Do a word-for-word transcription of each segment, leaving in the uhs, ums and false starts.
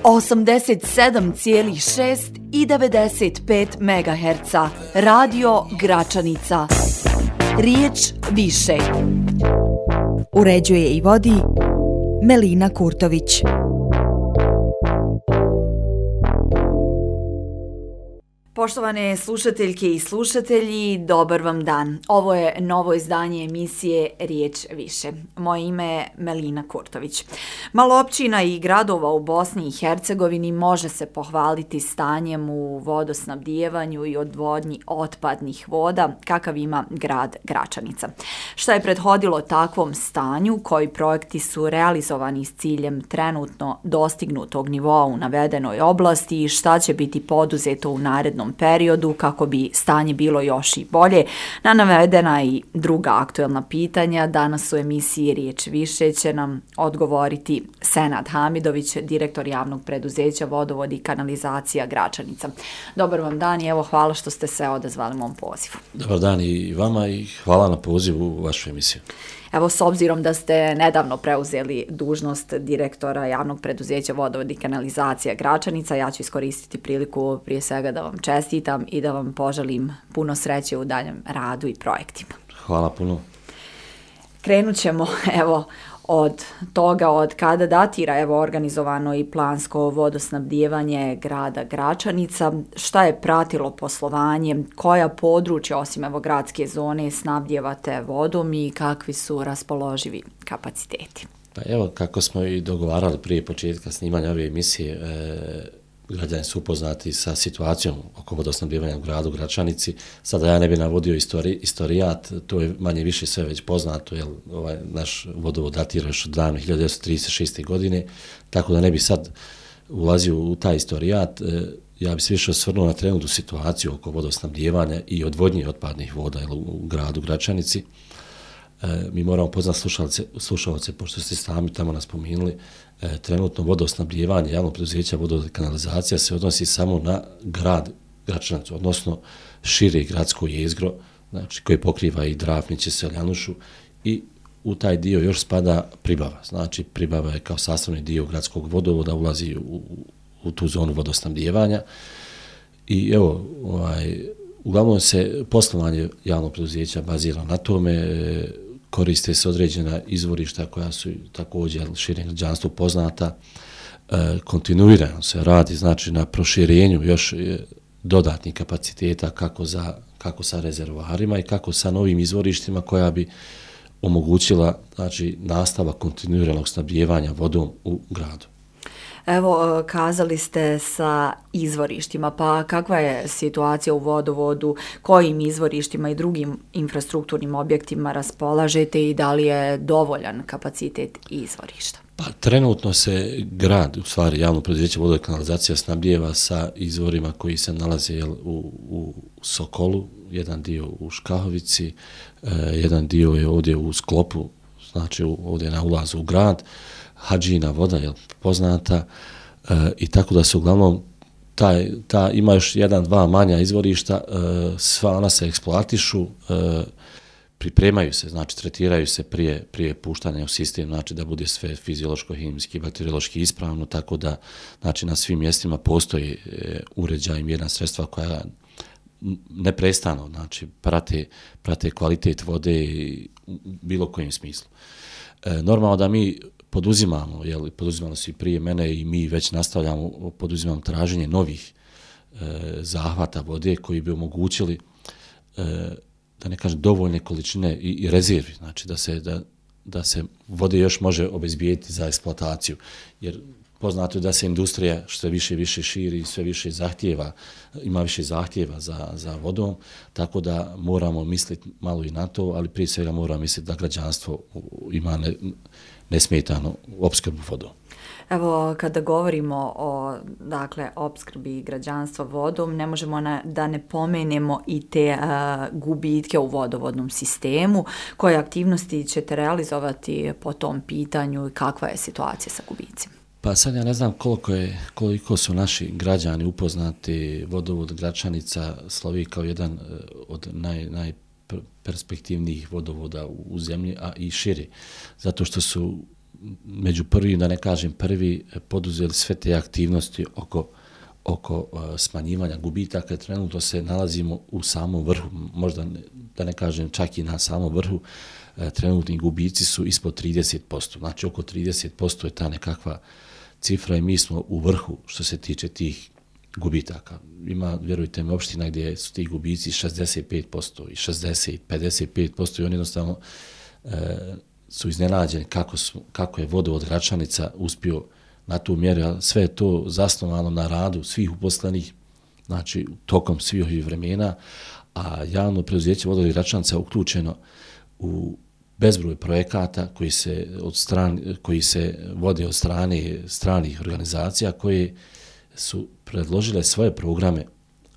osamdeset sedam zarez šest i devedeset pet megaherca. Radio Gračanica. Riječ više. Uređuje i vodi Melina Kurtović. Poštovane slušateljke i slušatelji, dobar vam dan. Ovo je novo izdanje emisije Riječ više. Moje ime je Melina Kurtović. Malo općina i gradova u Bosni i Hercegovini može se pohvaliti stanjem u vodosnabdijevanju i odvodnji otpadnih voda, kakav ima grad Gračanica. Šta je prethodilo takvom stanju, koji projekti su realizovani s ciljem trenutno dostignutog nivoa u navedenoj oblasti i šta će biti poduzeto u narednom periodu kako bi stanje bilo još i bolje. Na navedena i druga aktuelna pitanja danas u emisiji Riječ više će nam odgovoriti Senad Hamidović, direktor javnog preduzeća Vodovod i kanalizacija Gračanica. Dobar vam dan i evo hvala što ste se odazvali mom pozivu. Dobar dan i vama i hvala na pozivu u vašu emisiju. Evo, s obzirom da ste nedavno preuzeli dužnost direktora javnog preduzeća Vodovod i kanalizacija Gračanica, ja ću iskoristiti priliku prije svega da vam čestitam i da vam poželim puno sreće u daljem radu i projektima. Hvala puno. Krenut ćemo, evo, od toga od kada datira evo organizovano i plansko vodosnabdijevanje grada Gračanica, šta je pratilo poslovanje, koja područja osim evo gradske zone snabdijevate vodom i kakvi su raspoloživi kapaciteti? Pa evo, kako smo i dogovarali prije početka snimanja ove emisije, e, građani su upoznati sa situacijom oko vodosnabdijevanja u gradu Gračanici. Sada ja ne bih navodio istori, istorijat, to je manje više sve već poznato, jer ovaj naš vodovod datira još od davne hiljadu devetsto trideset šeste. godine, tako da ne bi sad ulazio u taj istorijat. Ja bih se više osvrnuo na trenutnu situaciju oko vodosnabdijevanja i odvodnje otpadnih voda jel, u gradu Gračanici. Mi moramo poznati slušalce, slušalce, pošto ste sami tamo nas pominuli, e, trenutno vodosnabdijevanje javnog preduzeća Vodovod i kanalizacija se odnosi samo na grad Gračanicu, odnosno šire gradsko jezgro, znači koje pokriva i Drafniće, Seljanušu i u taj dio još spada Pribava. Znači Pribava je kao sastavni dio gradskog vodovoda, ulazi u, u tu zonu vodosnabdijevanja i evo, ovaj, uglavnom se poslovanje javnog preduzeća bazira na tome, koriste se određena izvorišta koja su također širem građanstvu poznata, e, kontinuirano se radi znači na proširenju još dodatnih kapaciteta kako, za, kako sa rezervoarima i kako sa novim izvorištima koja bi omogućila znači, nastavak kontinuiranog snabdijevanja vodom u gradu. Evo, kazali ste sa izvorištima, pa kakva je situacija u vodovodu, kojim izvorištima i drugim infrastrukturnim objektima raspolažete i da li je dovoljan kapacitet izvorišta? Pa trenutno se grad, u stvari javno preduzeće Vodovod i kanalizacija snabdijeva sa izvorima koji se nalaze jel, u, u Sokolu, jedan dio u Škahovici, eh, jedan dio je ovdje u Sklopu, znači ovdje na ulazu u grad, Hadžina voda je poznata e, i tako da se uglavnom taj, ta, ima još jedan, dva manja izvorišta, e, sva ona se eksploatišu, e, pripremaju se, znači tretiraju se prije, prije puštanja u sistem, znači da bude sve fiziološko, hemijski, bakteriološki ispravno, tako da znači, na svim mjestima postoji e, uređaj i mjerna sredstva koja neprestano znači, prate, prate kvalitet vode u bilo kojem smislu. E, normalno da mi poduzimamo, jel, poduzimali su i prije mene i mi već nastavljamo, poduzimamo traženje novih e, zahvata vode koji bi omogućili, e, da ne kažem, dovoljne količine i, i rezervi, znači da se, da, da se vode još može obezbijeti za eksploataciju, jer poznato je da se industrija što više i više širi i sve više zahtjeva, ima više zahtjeva za, za vodom, tako da moramo misliti malo i na to, ali prije svega moramo misliti da građanstvo ima ne, nesmetano opskrbu vodom. Evo, kada govorimo o dakle, opskrbi građanstva vodom, ne možemo na, da ne pomenemo i te uh, gubitke u vodovodnom sistemu. Koje aktivnosti ćete realizovati po tom pitanju i kakva je situacija sa gubicima? Pa sad ja ne znam koliko, je, koliko su naši građani upoznati. Vodovod Gračanica slovi kao jedan od naj, najperspektivnijih vodovoda u zemlji, a i širi. Zato što su među prvim, da ne kažem prvi, poduzeli sve te aktivnosti oko, oko uh, smanjivanja gubitaka. Trenutno se nalazimo u samom vrhu, možda ne, da ne kažem čak i na samom vrhu. Uh, trenutni gubici su ispod trideset posto, znači oko trideset posto je ta nekakva cifra i mi smo u vrhu što se tiče tih gubitaka. Ima, vjerujte mi, opština gdje su ti gubici šezdeset pet posto i šezdeset, pedeset pet posto i oni jednostavno e, su iznenađeni kako, su, kako je vodovod Gračanica uspio na tu mjeru. Sve je to zasnovano na radu svih uposlenih, znači tokom svih ovih vremena, a javno preduzeće vodovod Gračanica uključeno u bezbroj projekata koji se, od strani, koji se vode od strane stranih organizacija koje su predložile svoje programe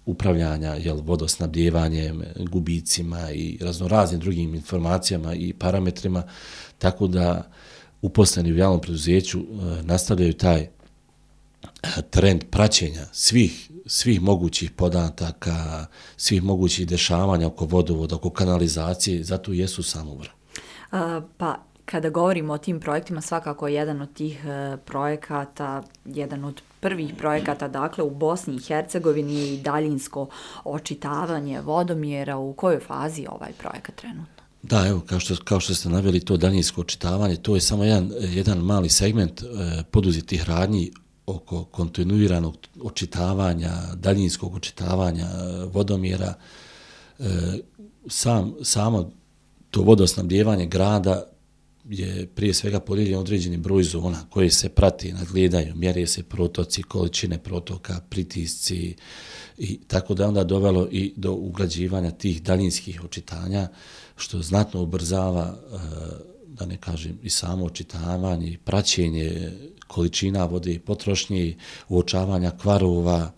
upravljanja jel, vodosnabdjevanjem, gubicima i raznoraznim drugim informacijama i parametrima, tako da uposleni u javnom preduzeću e, nastavljaju taj e, trend praćenja svih, svih mogućih podataka, svih mogućih dešavanja oko vodovoda, oko kanalizacije, zato jesu samo vrh. Pa kada govorimo o tim projektima, svakako jedan od tih e, projekata, jedan od prvih projekata, dakle u Bosni i Hercegovini je i daljinsko očitavanje vodomjera. U kojoj fazi je ovaj projekat trenutno? Da, evo, kao što, kao što ste naveli, to daljinsko očitavanje, to je samo jedan, jedan mali segment e, poduzetih radnji oko kontinuiranog očitavanja, daljinskog očitavanja vodomjera. E, sam, samo to vodosnabdjevanje grada je prije svega podijeljen određeni broj zona koje se prati, nadgledaju, mjere se protoci, količine protoka, pritisci i tako da onda dovelo i do ugrađivanja tih daljinskih očitanja, što znatno ubrzava, da ne kažem, i samo očitavanje i praćenje količina vode i potrošnje, uočavanja kvarova.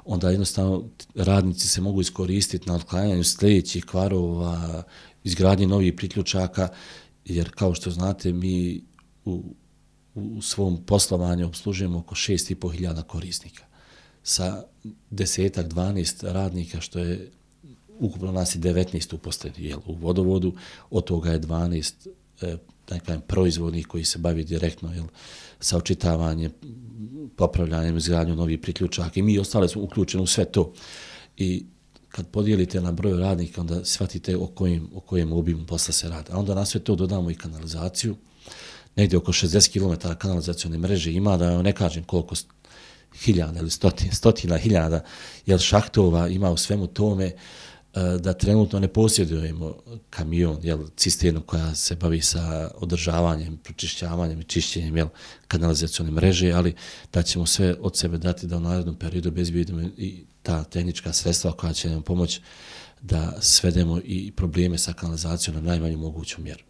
Onda jednostavno radnici se mogu iskoristiti na otklanjanju sljedećih kvarova, izgradnji novih priključaka, jer kao što znate mi u, u svom poslovanju obslužujemo oko šest i po hiljada korisnika sa desetak, dvanaest radnika, što je ukupno nas je devetnaest uposlenih u vodovodu, od toga je dvanaest e, nekaj, proizvodnih koji se bavi direktno jel, sa očitavanjem, popravljanjem, izgradnjom novih priključaka i mi ostale smo uključeni u sve to. I kad podijelite na broj radnika, onda shvatite o kojem, o kojem obimu posla se radi. A onda na sve to dodamo i kanalizaciju. Negdje oko šezdeset kilometara kanalizacione mreže ima, da ne kažem koliko hiljada ili stotina, stotina hiljada jel, šahtova ima u svemu tome, da trenutno ne posjedujemo kamion, jel, cisternu koja se bavi sa održavanjem, pročišćavanjem i čišćenjem jel, kanalizacione mreže, ali da ćemo sve od sebe dati da u narednom periodu obezbijedimo i ta tehnička sredstva koja će nam pomoći da svedemo i probleme sa kanalizacijom na najmanju moguću mjeru.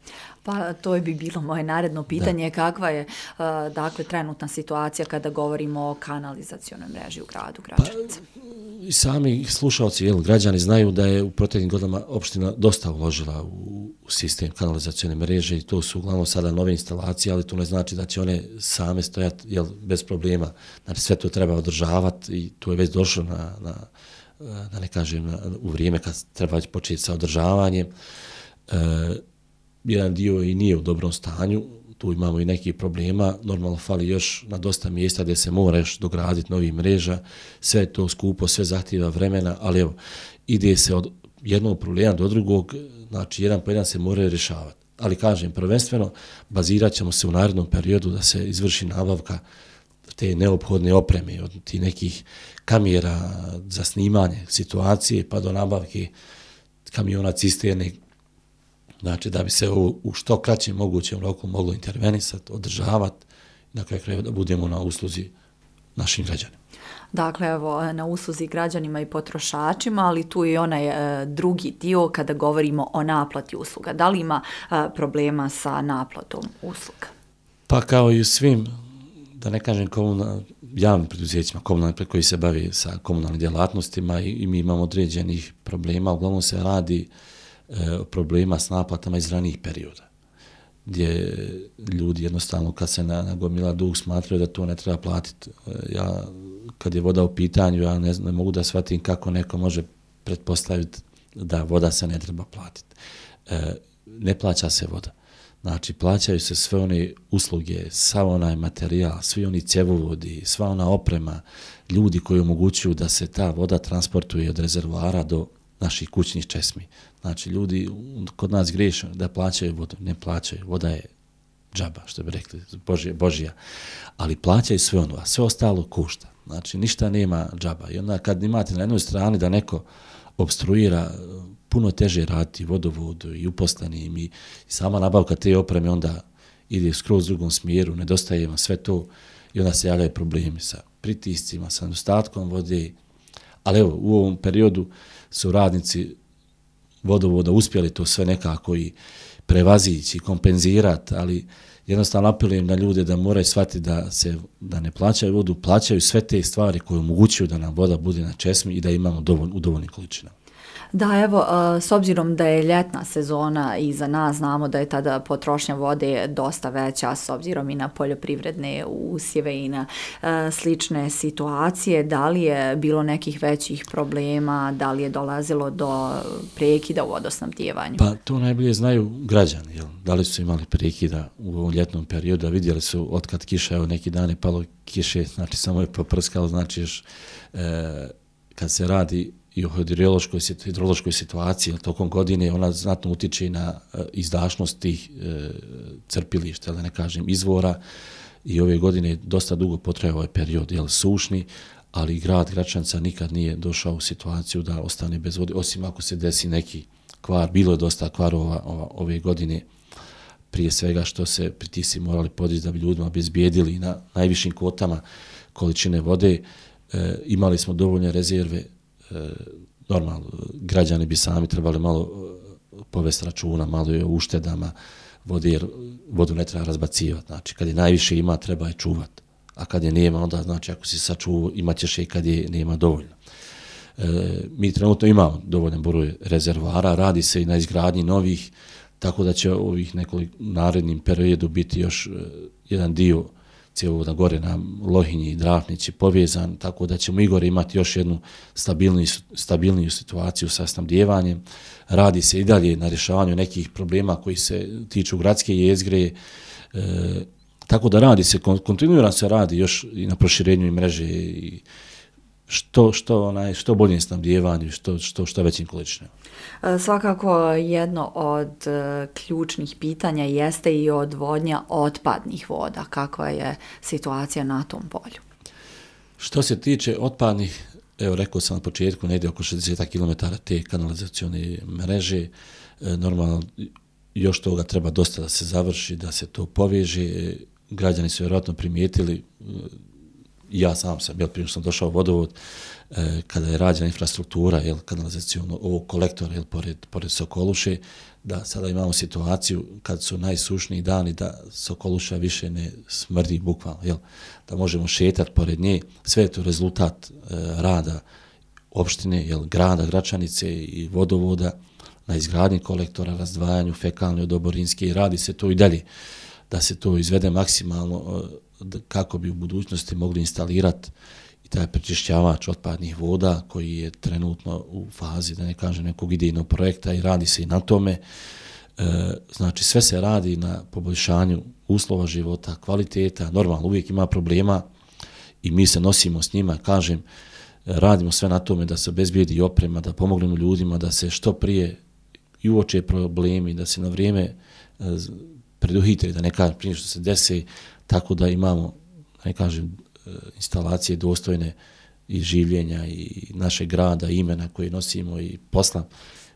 Pa to bi bilo moje naredno pitanje, da. Kakva je uh, dakle trenutna situacija kada govorimo o kanalizacionoj mreži u gradu Gračanica? Pa, i sami slušalci, jel, građani znaju da je u proteklim godinama opština dosta uložila u, u sistem kanalizacione mreže i to su uglavnom sada nove instalacije, ali to ne znači da će one same stojati jel, bez problema. Znači sve to treba održavati i to je već došlo na, na da ne kažem, na, u vrijeme kad treba početi sa održavanjem. E, jedan dio i nije u dobrom stanju, tu imamo i nekih problema, normalno fali još na dosta mjesta gdje se mora još dograditi novih mreža, sve je to skupo, sve zahtjeva vremena, ali evo, ide se od jednog problema do drugog, znači jedan po jedan se moraju rješavati. Ali kažem, prvenstveno bazirat ćemo se u narednom periodu da se izvrši nabavka te neophodne opreme, od tih nekih kamera za snimanje situacije pa do nabavke kamiona cisterne, znači da bi se u, u što kraćem mogućem roku moglo intervenisati, održavati, na kraju krajeva da budemo na usluzi našim građanima. Dakle, evo, na usluzi građanima i potrošačima, ali tu je onaj e, drugi dio kada govorimo o naplati usluga. Da li ima e, problema sa naplatom usluga? Pa kao i u svim, da ne kažem komunal, javnim preduzećima, komunalni koji se bavi sa komunalnim djelatnostima i, i mi imamo određenih problema, uglavnom se radi e, problema s naplatama iz ranijih perioda, gdje ljudi jednostavno kad se nagomila dug smatraju da to ne treba platiti. E, ja, kad je voda u pitanju, ja ne, ne mogu da shvatim kako neko može pretpostaviti da voda se ne treba platiti. E, ne plaća se voda. Znači, plaćaju se sve one usluge, sav onaj materijal, svi oni cjevovodi, sva ona oprema, ljudi koji omogućuju da se ta voda transportuje od rezervoara do naših kućnih česmi. Znači, ljudi kod nas griješe da plaćaju vodu, ne plaćaju, voda je džaba, što bi rekli, Božija, Božija, ali plaćaju sve ono, a sve ostalo košta. Znači, ništa nema džaba. I onda kad imate na jednoj strani da neko obstruira, puno teže raditi vodovodu i uposlenim i sama nabavka te opreme onda ide skroz u drugom smjeru, nedostaje vam sve to i onda se javljaju problemi sa pritiscima, sa nedostatkom vode. Ali evo, u ovom periodu su radnici vodovoda uspjeli to sve nekako i prevazići, kompenzirati, ali jednostavno apelujem na ljude da moraju shvatiti da se da ne plaćaju vodu, plaćaju sve te stvari koje omogućuju da nam voda bude na česmi i da imamo dovolj, u dovoljnim količinama. Da, evo, s obzirom da je ljetna sezona i za nas znamo da je tada potrošnja vode dosta veća s obzirom i na poljoprivredne usjeve i na slične situacije, da li je bilo nekih većih problema, da li je dolazilo do prekida u vodosnabdijevanju? Pa to najbolje znaju građani, jel? Da li su imali prekida u ovom ljetnom periodu, vidjeli su otkad kiša, evo neki dan je palo kiše, znači samo je poprskalo, znači još e, kad se radi i o hidrološkoj, hidrološkoj situaciji tokom godine, ona znatno utiče na uh, izdašnost tih uh, crpilišta, da ne kažem izvora, i ove godine dosta dugo potraje ovaj period, jel, sušni, ali grad Gračanica nikad nije došao u situaciju da ostane bez vode, osim ako se desi neki kvar. Bilo je dosta kvarova ova, ove godine, prije svega što se pritisci morali podići da bi ljudima obezbijedili na najvišim kvotama količine vode. E, imali smo dovoljne rezerve. E, normalno, građani bi sami trebali malo povesti računa, malo je o uštedama vode, jer vodu ne treba razbacivati. Znači, kad je najviše ima, treba je čuvati. A kad je nema, onda znači ako si sačuvao, imat ćeš je kad je nema dovoljno. E, mi trenutno imamo dovoljan broj rezervoara, radi se i na izgradnji novih, tako da će ovih nekoliko narednim periodu biti još e, jedan dio cijevovoda gore na Lohinji i Drafnići povezan, tako da ćemo i gore imati još jednu stabilniju, stabilniju situaciju sa snabdijevanjem. Radi se i dalje na rješavanju nekih problema koji se tiču gradske jezgre, e, tako da radi se, kontinuirano se radi još i na proširenju i mreže i što, što, onaj, što bolje snabdijevanju, što, što, što većim količinama. Svakako jedno od ključnih pitanja jeste i odvodnja otpadnih voda. Kakva je situacija na tom polju? Što se tiče otpadnih, evo rekao sam na početku, negdje oko šezdeset kilometara te kanalizacione mreže, normalno još toga treba dosta da se završi, da se to poveže. Građani su vjerojatno primijetili, ja sam sam, jel, prije što sam došao u vodovod, eh, kada je rađena infrastruktura, jel, kanalizacijono, ovog kolektora, jel, pored, pored Sokoluše, da sada imamo situaciju kad su najsušniji dani da Sokoluša više ne smrdi bukvalno, jel, da možemo šetati pored nje. Sve je to rezultat eh, rada opštine, jel, grada Gračanice i vodovoda na izgradnji kolektora, razdvajanju fekalne od oborinske, i radi se to i dalje, da se to izvede maksimalno kako bi u budućnosti mogli instalirati i taj prečišćavač otpadnih voda koji je trenutno u fazi, da ne kažem, nekog idejnog projekta, i radi se i na tome. E, znači sve se radi na poboljšanju uslova života, kvaliteta. Normalno uvijek ima problema i mi se nosimo s njima, kažem, radimo sve na tome da se obezbijedi oprema, da pomognemo ljudima, da se što prije i uoče problemi, da se na vrijeme preduhitre, da ne kažem prije što se desi, tako da imamo, ne kažem, instalacije dostojne i življenja i našeg grada, imena koje nosimo i posla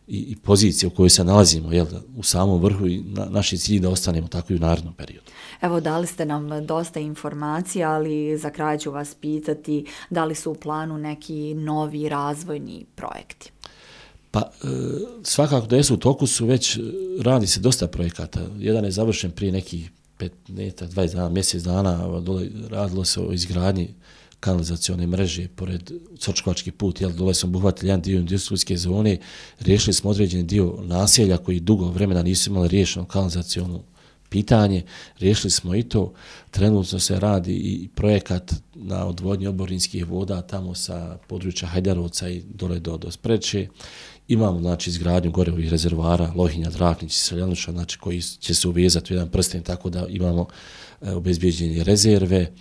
i, i pozicije u kojoj se nalazimo, jel, u samom vrhu, i na, naši cilji da ostanemo tako i u narednom periodu. Evo, dali ste nam dosta informacija, ali za kraj ću vas pitati da li su u planu neki novi razvojni projekti? Pa e, svakako da jesu, u toku su već, radi se dosta projekata. Jedan je završen prije nekih pet, dvadeset dana, mjesec dana, dole radilo se o izgradnji kanalizacione mreže pored Sočkovački put, jel, dole smo obuhvatili jedan dio industrijske zone, riješili smo određeni dio naselja koji dugo vremena nisu imali riješeno kanalizacionu pitanje, riješili smo i to. Trenutno se radi i projekat na odvodnji oborinskih voda tamo sa područja Hajdarovca i dole do, do Spreče. imamo znači izgradnju gore ovih rezervoara Lohinja, Draknić i Seljanuša, znači koji će se uvezati u jedan prsten tako da imamo e, obezbeđenje rezerve. E,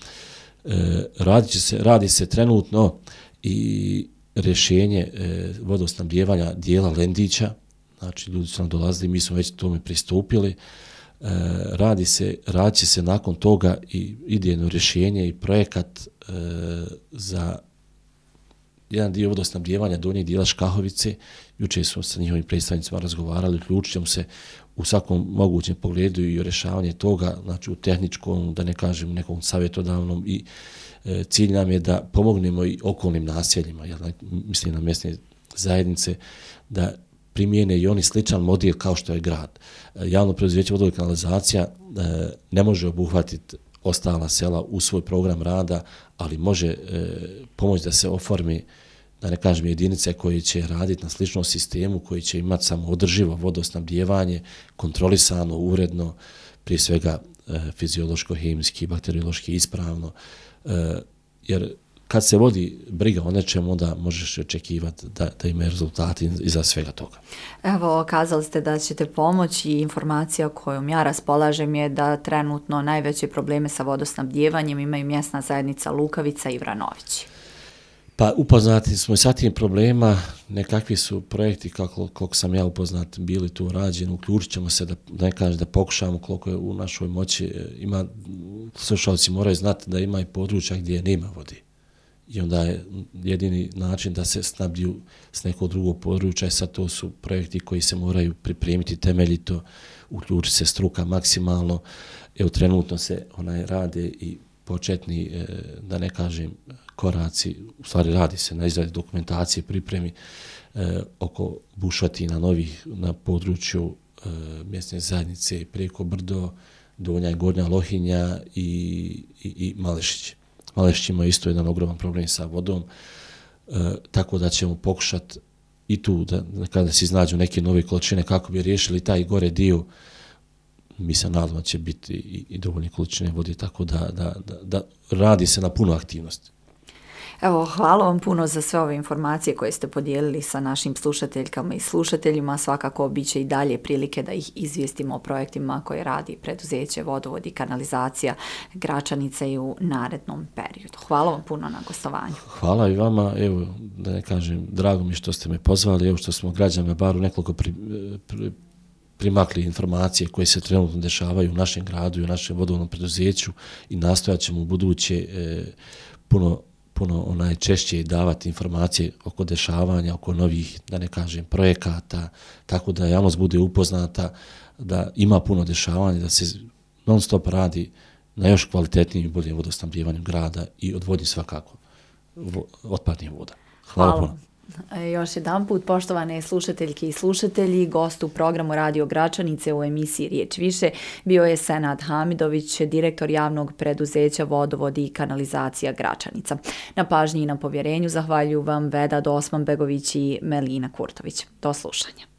radi, će se, radi se trenutno i rješenje e, vodosnabdijevanja dijela Lendića, znači ljudi su nam dolazili, mi smo već tome pristupili. E, radi se, radi će se nakon toga i idejno rješenje i projekat e, za jedan dio vodosnabdijevanja donjeg dijela Škahovice. Jučer smo sa njihovim predstavnicima razgovarali, uključit ćemo se u svakom mogućem pogledu i rješavanje toga, znači u tehničkom, da ne kažem, nekom savjetodavnom i e, cilj nam je da pomognemo i okolnim naseljima, ja mislim na mjesne zajednice, da primijene i oni sličan model kao što je grad. E, javno preduzeće vodovod i kanalizacija e, ne može obuhvatiti ostala sela u svoj program rada, ali može e, pomoći da se oformi, da ne kažem, jedinice koje će raditi na sličnom sistemu, koji će imati samo održivo vodosnabdijevanje, kontrolisano, uredno, prije svega e, fiziološko, hemijski, bakteriološki ispravno, e, jer kad se vodi briga o nečemu, onda možeš očekivati da, da imaju rezultati iza svega toga. Evo, kazali ste da ćete pomoći i informacija kojom ja raspolažem je da trenutno najveće probleme sa vodosnabdijevanjem imaju mjesna zajednica Lukavica i Vranovići. Pa upoznati smo i sa tim problema, nekakvi su projekti kako, koliko sam ja upoznat bili tu rađeni, uključit ćemo se da, da ne kažem, da pokušamo koliko je u našoj moći. Ima, slušalci moraju znati da ima i područja gdje nema vode. I onda je jedini način da se snabdiju s nekog drugog područja i sad to su projekti koji se moraju pripremiti temeljito, uključiti se struka maksimalno. Evo trenutno se onaj rade i početni, da ne kažem, koraci, u stvari radi se na izradi dokumentacije, pripremi e, oko bušotina novih na području e, mjesne zajednice preko Brdo, Donja i Gornja Lohinja i, i, i Malešić. Malešić ima isto jedan ogroman problem sa vodom, e, tako da ćemo pokušati i tu da kada se iznađu neke nove količine kako bi riješili taj gore dio. Mi se nadamo će biti i, i dovoljne količine vode, tako da, da, da, da radi se na puno aktivnosti. Evo, hvala vam puno za sve ove informacije koje ste podijelili sa našim slušateljkama i slušateljima. Svakako bit će i dalje prilike da ih izvijestimo o projektima koje radi preduzeće Vodovod i kanalizacija Gračanice i u narednom periodu. Hvala vam puno na gostovanju. Hvala i vama. Evo, da ne kažem, drago mi što ste me pozvali, evo što smo građanima bar u nekoliko pri, pri, primakli informacije koje se trenutno dešavaju u našem gradu i u našem vodovodnom preduzeću i nastojat ćemo u buduće e, puno puno onaj češće davati informacije oko dešavanja, oko novih, da ne kažem, projekata, tako da javnost bude upoznata, da ima puno dešavanja, da se non stop radi na još kvalitetnijim i boljim vodosnabdijevanju grada i odvodnji svakako otpadnih voda. Hvala, Hvala. puno. Još jedan put, poštovane slušateljke i slušatelji, gost u programu Radio Gračanice u emisiji Riječ više bio je Senad Hamidović, direktor javnog preduzeća Vodovod i kanalizacija Gračanica. Na pažnji i na povjerenju zahvaljuju vam Veda Dosmanbegović i Melina Kurtović. Do slušanja.